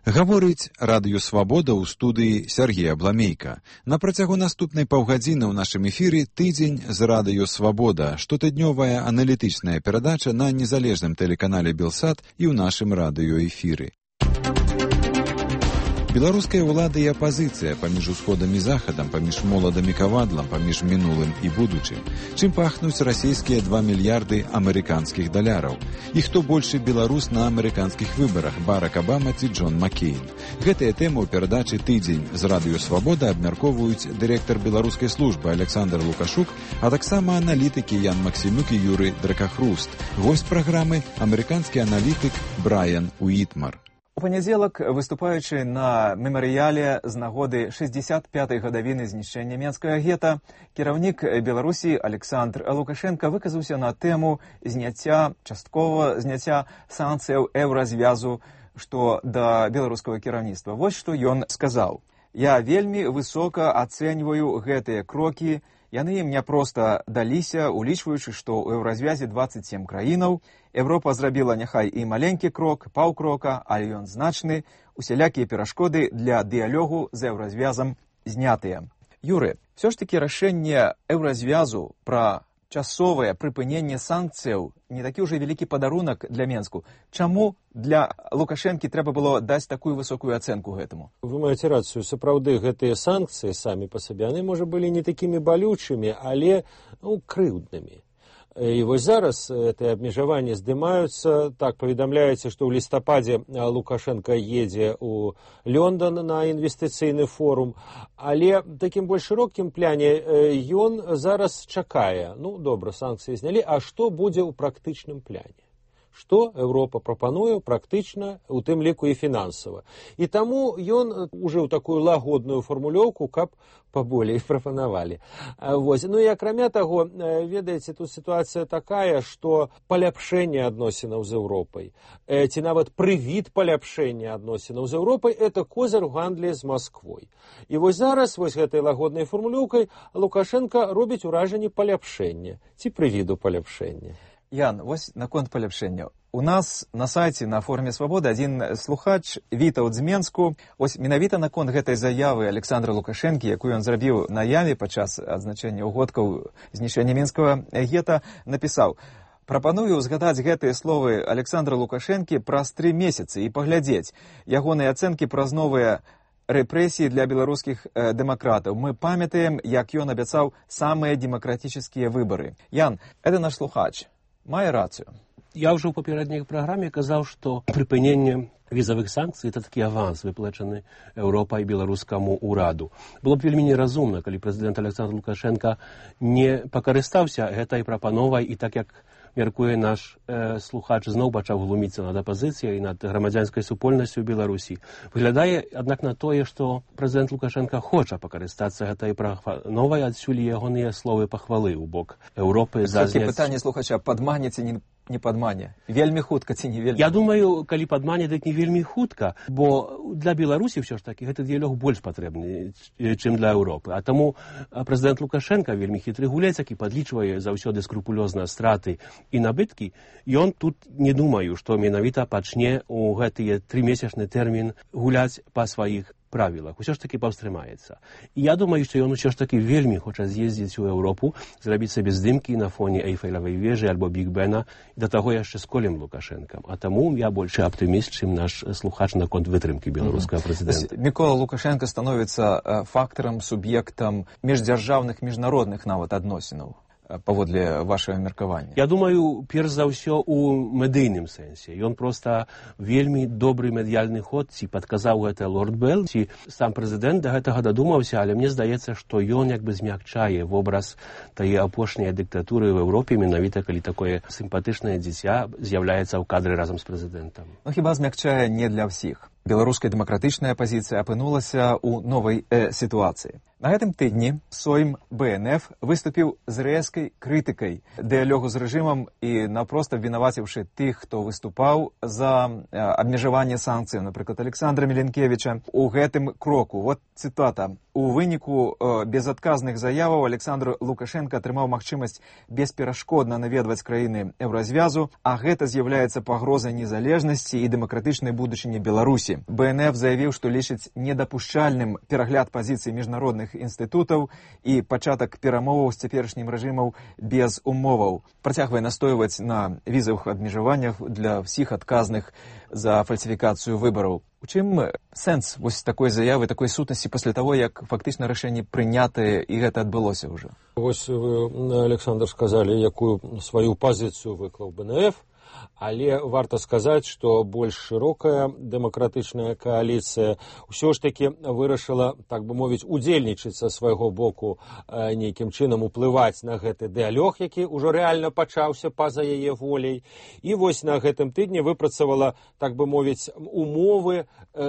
Гаворыць радыё «Свабода» ў студыі Сергей Абламейка. На працягу наступнай паўгадзіны ў нашым эфіры тыдзень з радыё «Свабода», штотыднёвая аналітычная перадача на незалежным тэлеканале «Белсат» і ў нашым радыёэфіры. Беларуская ўлада і апазіцыя паміж усходам і захадам, паміж моладам і кавадлам, паміж мінулым і будучым. Чым пахнуць расійскія 2 мільярды амерыканскіх даляраў? І хто большы беларус на амерыканскіх выбарах, Барак Абама ці Джон Маккейн? Гэтыя тэмы ў перадачы «Тыдзень» з радыё «Свабода» абмяркоўваюць дырэктар беларускай службы Александр Лукашук, а таксама аналітыкі Ян Максімюк і Юрый Дракахруст. Госць праграмы – амерыканскі аналітык Брайан Уітмар. У панядзелак, выступаючы на мемарыяле з нагоды 65-й гадавіны знішчэння менскага гета, кіраўнік Беларусі Александр Лукашенко выказаўся на тэму частковага зняцця санкцыяў еўразвязу, што да беларускага кіраўніцтва. Вось што ён сказаў. «Я вельмі высока ацэньваю гэтыя крокі. Яны ім не проста даліся, улічваючы, што ў еўразвязе 27 краінаў. Еўропа зрабіла няхай і маленькі крок, паўкрока, але ён значны. Усялякія перашкоды для дыялогу з еўразвязам знятыя». Юры, все ж таки рашэнне еўразвязу пра часовае прыпыненне санкцыяў не такі ўжо вялікі падарунак для Менску. Чаму для Лукашэнкі трэба было даць такую высокую ацэнку гэтаму? Вы маеце рацыю, сапраўды гэтыя санкцыі самі па сабе, яны, можа, былі не такімі балючымі, але крыўднымі. І вось зараз гэтыя абмежаванні здымаюцца. Так, паведамляецца, што ў лістападзе Лукашенко едзе ў Лондон на інвестыцыйны форум, але такім больш шырокім пляне ён зараз чакае. Ну, добра, санкцыі знялі, а што будзе ў практычным пляне? Што Еўропа прапануе практычна, у тым ліку і фінансава. І таму ён ужыў такую лагодную фармулёўку, каб паболей прапанавалі. Ну і акрамя таго, ведаеце, тут сітуацыя такая, што паляпшэнне адносінаў з Еўропай, ці нават прывід паляпшэння адносінаў з Еўропай, это козыр у гандлі з Масквой. І вось зараз вось гэтай лагоднай фармулёўкай Лукашенко робіць уражанне паляпшэння, ці прывіду паляпшэння. Ян, вось наконт паляпшэння. У нас на сайце на форуме «Свабода» адзін слухач вітаў з Менску. Вось менавіта наконт гэтай заявы Александра Лукашэнкі, якую ён зрабіў на яве падчас адзначэння ўгодкаў знішчэння менскага гета, напісаў: «Прапаную ўзгадаць гэтыя словы Александра Лукашэнкі праз 3 месяцы і паглядзець ягоныя ацэнкі праз новыя рэпрэсіі для беларускіх дэмакратаў. Мы памятаем, як ён абяцаў самыя дэмакратычныя выбары». Ян, это наш слухач. Мае рацыю. Я ўжо ў папярэдняй праграме казаў, што прыпыненне візавых санкцый – это такі аванс, выплачаны Еўропай беларускаму ўраду. Было б вельмі неразумна, калі прэзідэнт Александр Лукашенко не пакарыстаўся гэтай прапановай і так, як мяркуе наш слухач, зноў пачаў глуміцца над апазіцыяй і над грамадзянскай супольнасцю ў Беларусі. Выглядае, аднак, на тое, што прэзідэнт Лукашенко хоча пакарыстацца гэтай прапановай, адсюль ягоныя словы пахвалы ў бок Еўропы за зняцце. Пытанне слухача: падмане ці не падмане? Вельмі хутка ці не вельмі? Я думаю, калі падмане, дык не вельмі хутка, бо для Беларусі ўсё ж такі гэты дыялог больш патрэбны, чым для Еўропы. А таму прэзідэнт Лукашенко вельмі хітры гулец, які падлічвае заўсёды скрупулёзна страты і набыткі. Ён тут, не думаю, што менавіта пачне у гэтыя 3-месячны тэрмін гуляць па сваіх правілах. Усё ж такі паўстрымаецца. І я думаю, што ён усё ж такі вельмі хоча з'ездзіць у Еўропу, зрабіць сабе здымкі на фоне Эйфелевай вежы альбо Бig-Бена, і да таго яшчэ з Колем Лукашэнкам. А таму я большы аптыміст, чым наш слухач наконт вытрымкі беларускага прэзідэнта. Мікола Лукашенко становіцца фактарам, суб'ектам міждзяржаўных, міжнародных нават адносінаў, паводле вашага меркавання? Я думаю, перш за ўсё у медыйным сэнсе. Ён проста вельмі добры медыяльны ход, ці падказаў гэта Лорд Белл, ці сам прэзідэнт да гэтага дадумаўся, але мне здаецца, што ён як бы змякчае вобраз тае апошняй дыктатуры ў Еўропе, менавіта калі такое сімпатычнае дзіця з'яўляецца ў кадры разам з прэзідэнтам. Ну, хіба змякчае не для ўсіх. Беларуская дэмакратычная апазіцыя апынулася ў новай сітуацыі. На гэтым тыдні Сойм БНФ выступіў з рэзкай крытыкай дыялогу з рэжымам і напрост абвінаваціўшы тых, хто выступаў за абмежаванне санкцыяў, напрыклад, Александра Міленкевіча, у гэтым кроку. Вот цытата. У выніку безадказных заяваў Александр Лукашенко атрымаў магчымасць бесперашкодна наведваць краіны еўразвязу, а гэта з'яўляецца пагрозай незалежнасці і дэмакратычнай будучыні Беларусі. сустрэчы БНФ заявіў, што лічыць недапушчальным перагляд пазіцый міжнародных інстытутаў і пачатак перамоваў з цяперашнім рэжымам без умоваў. Працягвае настойваць на візавых абмежаваннях для ўсіх адказных за фальсіфікацыю выбараў. У чым сэнс вось такой заявы, такой сутнасці пасля таго, як фактычна рашэнне прынятае і гэта адбылося ўжо? Вось вы, Александр, сказалі, якую сваю пазіцыю выклаў БНФ, але варта сказаць, што больш шырокая дэмакратычная кааліцыя ўсё ж такі вырашыла, так бы мовіць, удзельнічаць са свайго боку, нейкім чынам уплываць на гэты дыялог, які ўжо рэальна пачаўся па-за яе волей. І вось на гэтым тыдні выпрацавала, так бы мовіць, умовы,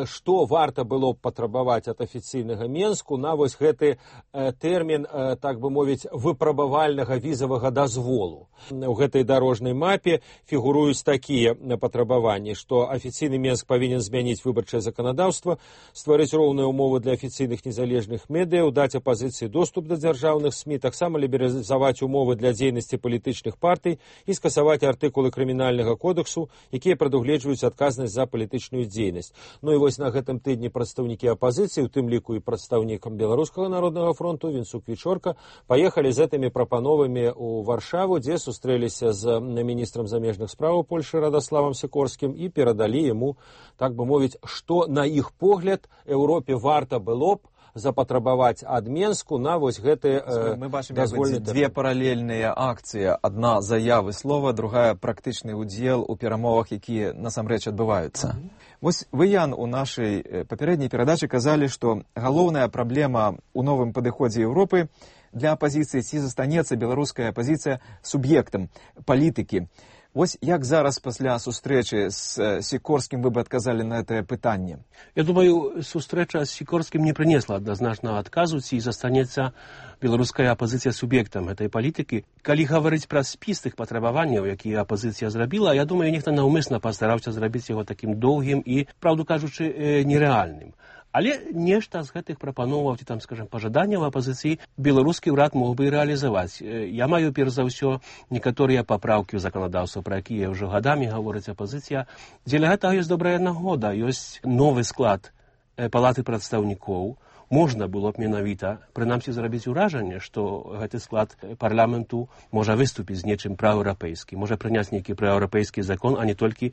што варта было б патрабаваць ад афіцыйнага Менску на вось гэты тэрмін, так бы мовіць, выпрабавальнага візавага дазволу. У гэтай дарожнай мапе фігуруюць такія патрабаванні, што афіцыйны Менск павінен змяніць выбарчае заканадаўства, стварыць роўныя умовы для афіцыйных незалежных медыяў, даць апазіцыі доступ да дзяржаўных СМІ, таксама лібералізаваць умовы для дзейнасці палітычных партый і скасаваць артыкулы крымінальнага кодексу, якія прадугледжваюць адказнасць за палітычную дзейнасць. Ну і вось на гэтым тыдні прадстаўнікі апазіцыі, у тым ліку і прадстаўнікам Беларускага народнага фронту Вінцук Вічорка, паехалі з гэтымі прапановамі ў Варшаву, дзе сустрэліся з міністрам замежных справаў Польшы Радаславам Сікорскім і перадалі яму, так бы мовіць, што на іх погляд Еўропе варта было б запатрабаваць ад Менску на вось гэты дазвольны тэрмін. Мы бачым две паралельныя акцыі. Адна заявы слова, другая практычны ўдзел у перамовах, якія насамрэч адбываюцца. Вось вы, Ян, у нашай папярэдняй перадачы казалі, што галоўная праблема ў новым падыходзе Еўропы для апазіцыі ці застанецца беларуская апазіцыя суб'ектам палітыкі. Вось як зараз пасля сустрэчы з Сікорскім вы бы адказалі на гэтае пытанне? Я думаю, сустрэча з Сікорскім не прынесла адназначнага адказу, ці застанецца беларуская апазіцыя суб'ектам гэтай палітыкі. Калі гаварыць пра спіс тых патрабаванняў, якія апазіцыя зрабіла, я думаю, нехта наўмысна пастараўся зрабіць яго такім доўгім і, праўду кажучы, нерэальным. Але нешта з гэтых прапановаў, ці там, скажем, пажаданняў апазіцыі беларускі ўрад мог бы і рэалізаваць. Я маю, перш за ўсё, некаторыя папраўкі ў заканадаўства, пра якія ўжо гадамі гаворыць апазіцыя. Дзеля гэтага ёсць добрая нагода, ёсць новы склад палаты прадстаўнікоў. Можна было б менавіта, прынамсі, зрабіць уражанне, што гэты склад парламенту можа выступіць з нечым праеўрапейскім, можа прыняць нейкі праеўрапейскі закон, а не толькі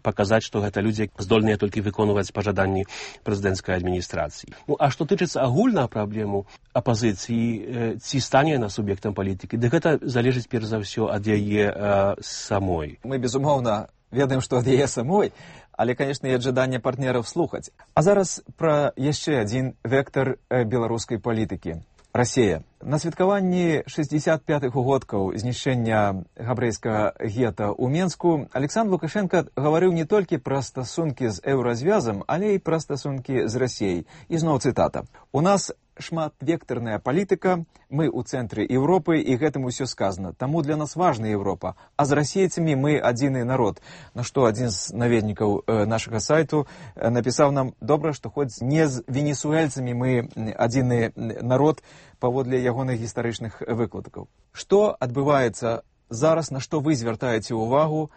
паказаць, што гэта людзі здольныя толькі выконваць пажаданні прэзідэнцкай адміністрацыі. Ну, а што тычыцца агульна праблему апазіцыі, ці стане яна суб'ектам палітыкі, дык гэта залежыць перш за ўсё ад яе самой. Мы, безумоўна, ведаем, што ад яе самой, але, конечно, і ад жадання партнераў слухаць. А зараз пра яшчэ адзін вектар беларускай палітыкі – Расія. На святкаванні 65-х угодкаў знішчэння габрэйскага гета ў Менску Александр Лукашенко гаварыў не толькі пра стасункі з еўразвязам, але і пра стасункі з Расіяй. І зноў цытата. «У нас шматвектарная палітыка, мы ў цэнтры Еўропы, і гэтым усё сказана. Таму для нас важна Еўропа, а з расейцамі мы адзіны народ». На што адзін з наведнікаў нашага сайту напісаў нам: «Добра, што хоць не з венесуэльцамі мы адзіны народ», паводле ягоных гістарычных выкладкаў. Што адбываецца зараз, на што вы звяртаеце ўвагу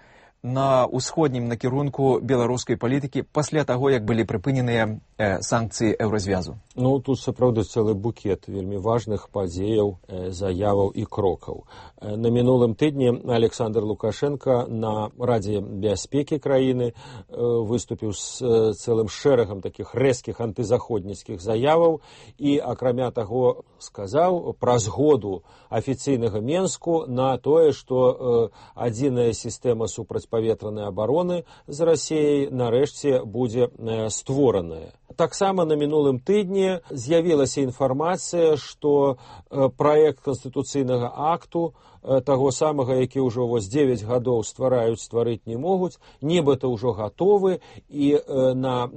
на ўсходнім накірунку беларускай палітыкі пасля таго, як былі прыпыненыя санкцыі еўразвязу? Ну, тут сапраўды цэлы букет вельмі важных падзеяў, заяваў і крокаў. На мінулым тыдні Александр Лукашенко на Радзе бяспекі краіны выступіў з цэлым шэрагам такіх рэзкіх антызаходніцкіх заяваў і, акрамя таго, сказаў пра згоду афіцыйнага Менску на тое, што адзіная сістэма супрацьпаветранай абароны з Расіяй нарэшце будзе створаная. Таксама на мінулым тыдні з'явілася інфармацыя, што праект канстытуцыйнага акту, таго самага, які ўжо 9 гадоў стварыць не могуць, нібыта ўжо гатовы, і на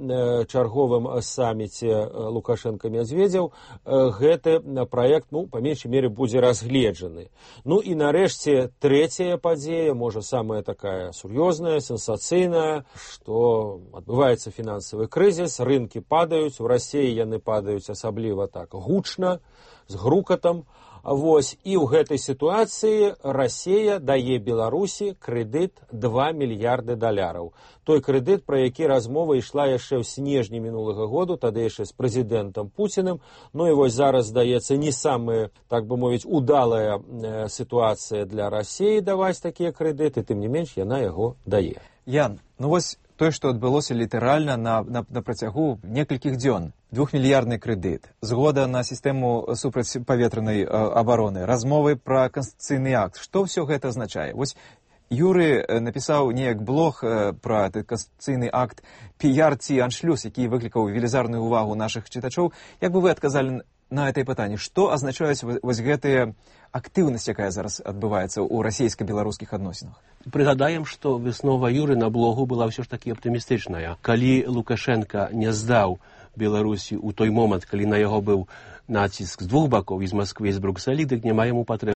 чарговым саміце Лукашенко-Мядзведзеў гэты праект, па меншай мере, будзе разгледжаны. Ну і нарэшце трэцяя падзея, можа, самая такая сур'ёзная, сенсацыйная, што адбываецца фінансавы крызіс, рынкі падаюць, у Расіі яны падаюць асабліва так гучна, з грукатам, Вось, і ў гэтай сітуацыі Расія дае Беларусі крэдыт 2 мільярды даляраў. Той крэдыт, пра які размова ішла яшчэ ў снежні мінулага году, тады яшчэ з прэзідэнтам Пуціным. Ну і вось зараз, здаецца, не самая, так бы мовіць, удалая сітуацыя для Расіі даваць такія крэдыты, тым не менш яна яго дае. Ян, ну вось тое, што адбылося літаральна на працягу некалькіх дзён. 2-мільярдны крэдыт, згода на сістэму супрацьпаветранай абароны, размовы пра канстытуцыйны акт. Што ўсё гэта азначае? Вось Юры напісаў неяк блог пра канстытуцыйны акт «Піяр ці аншлюз», які выклікаў велізарную увагу нашых чытачоў. Як бы вы адказалі на гэтае пытанне? Што азначаюць вось гэтыя актыўнасць, якая зараз адбываецца ў расійска-беларускіх адносінах? Прыгадаем, што выснова Юры на блогу была ўсё ж такі аптымістычная. Калі Лукашенка не здаў Беларусі ў той момант, калі на яго быў націск з двух бакоў, і з Масквы, і з Брукселі, дык няма яму патрэбны